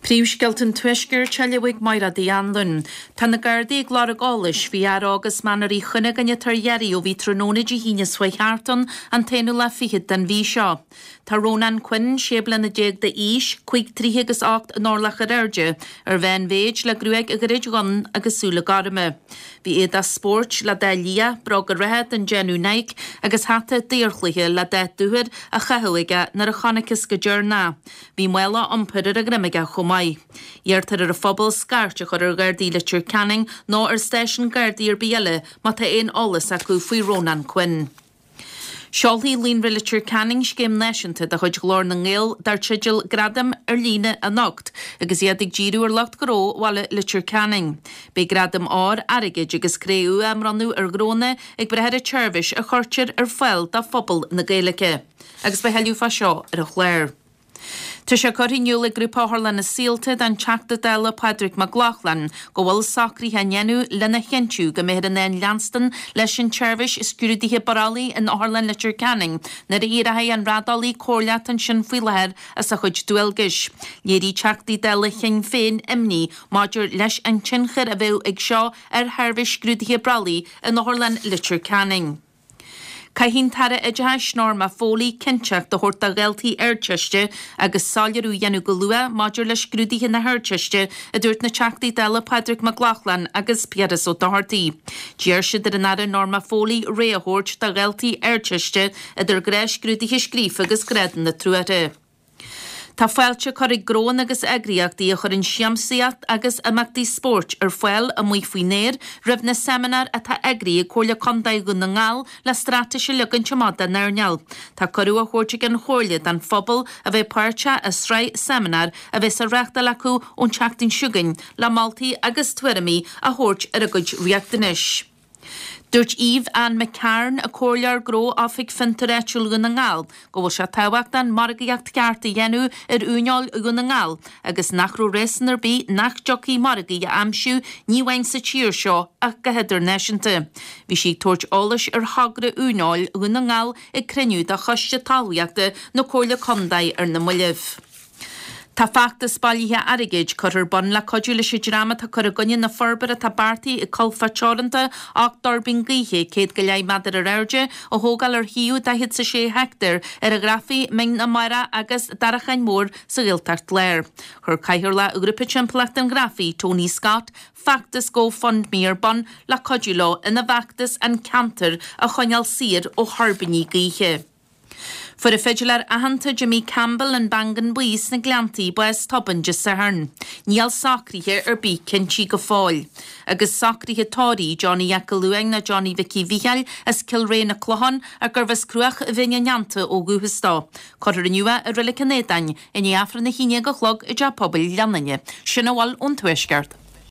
Príomhscéalta an Tuaiscirt á léamh ag Máire Uí Anluain. Tá na Gardaí ag lorg eolais faoi fhear óg as Mainéar Uí Chuinneagáin atá ar iarraidh ó bhí tráthnóna Dé hAoine seo chuaigh thart ann, an t-aonú lá fichead den mhí seo. Tá Rónán Quinn, 16 bliana d'aois, 5 troithe agus 8 n-orlach ar airde, ar mheánmhéid, le gruaig ghairid dhonn agus súile gorma. Bhí éadach spóirt le dath liath, bróga reatha den déanamh Nike agus hata daorchluiche le dath dúthair á chaitheamh aige nuair a chonacthas go deireanach. Bhí mála iompair ar a dhroim aige chomh maith. Iarrtar ar an phobal scairt a chur ar Ghardaí Leitir Ceanainn nó ar stáisiún Gardaí ar bith eile má tá aon eolas acu faoi Rónán Quinn. Seolfaidh Líonra Leitir Ceanainn scéim náisiúnta de chuid Ghlór na nGael dar teideal Gradaim ar Líne anocht agus iad ag díriú ar lucht gnó bhaile Leitir Ceanainn. Beidh gradaim óir, airgid agus cré-umha á mbronnadh ar ghnónna ag brath ar an tseirbhís a chuirtear ar fáil do phobal na Gaeilge. Agus beidh tuilleadh fá seo ar an chlár. Tá sé curtha in iúl ag Grúpa Otharlanna Saolta don Teachta Dála Pádraig Mac Lochlainn go bhfuil socruithe á ndéanamh lena chinntiú go mbeifear in ann leanstan leis an tseirbhís scrúdaithe brollaigh in Otharlann Leitir Ceanainn nuair a éireoidh an raideolaí comhairleach atá ansin faoi láthair as a chuid dualgais. Léirigh Teachtaí Dála Shinn Féin imní maidir leis an tionchar a bheadh ag seo ar sheirbhís scrúdaithe brollaigh in Otharlann Leitir Ceanainn. Caithfidh an tAire Oideachais Norma Foley cinnteacht a thabhairt do dhaltaí Ardteiste agus soiléiriú a dhéanamh go luath maidir le scrúduithe na hArdteiste, a dúirt na Teachtaí Dála Pádraig Mac Lochlainn agus Piaras Ó Dochartaigh. D'iarr siad ar an Aire Norma Foley rogha a thabhairt do dhaltaí Ardteiste idir gnáthscrúduithe scríofa agus grádanna truaithe. Tá fáilte curtha ag gnóanna agus eagraíochtaí a chuireann siamsaíocht agus imeachtaí spóirt ar fáil amuigh faoin aer roimh na seimineáir atá eagraithe ag Comhairle Contae Dhún na nGall le straitéis a leagaint amach don earnáil. Tá cuireadh á thabhairt ag an Chomhairle don phobal a bheith páirteach i sraith seimineár a bheas á reáchtáil acu ón tseachtain seo chugainn le moltaí agus tuairimí a thabhairt ar a gcuid riachtanais. Dúirt Eve Ann McCarn, Comhairleoir Gnó Oifig Fiontair Áitiúil Dhún na nGall, go bhfuil sé tábhachtach margaíocht cheart a dhéanamh ar uaineoil Dhún na nGall agus nach raibh réasún ar bith nach dtiocfaí margaí a aimsiú ní amháin sa tír seo ach go hidirnáisiúnta. Bhí sí ag tabhairt eolais ar thogra uaineoil Dhún na nGall ag cruinniú de Choiste Talmhaíochta na Comhairle Contae ar na mallaibh. Tá feachtas bailithe airgid curtha ar bun le cuidiú leis an dream atá ag cur i gcoinne na forbartha atá beartaithe ag Colfá Teoranta 8 dtuirbín gaoithe, 100 go leith méadar ar airde, a thógáil ar shuíomh 46 heicteár ar an Ghrafaidh, Mín na Mara agus Darachán Mór sa Ghaeltacht Láir. Chuir Cathaoirleach Ghrúpa Timpeallachta an Ghrafaidh, Tony Scott, feachtas GoFundMe ar bun le cuidiú leo ina bhfeachtas an ceantar a choinneáil saor ó thuirbíní gaoithe. Fuair an fidiléir aitheanta Jimmy Campbell an Beangan Buí sna Gleanntaí bás tobann Dé Sathairn. Níl socruithe ar bith cinntí go fóill. Agus socruithe tórraimh Johnny Jeaic Luain nó Johnny Mhicí Mhícheáil as Cill Réidh na Clochán ach gurbh as Cruach Bhinn an Neanta ó dhúchas dó. Cuirfear inniu é i Reilig an Éadáin i ndiaidh Aifreann a haon déag a chlog i dTeach Pobail Ghleann Fhinne. Sin a bhfuil ón Tuaisceart.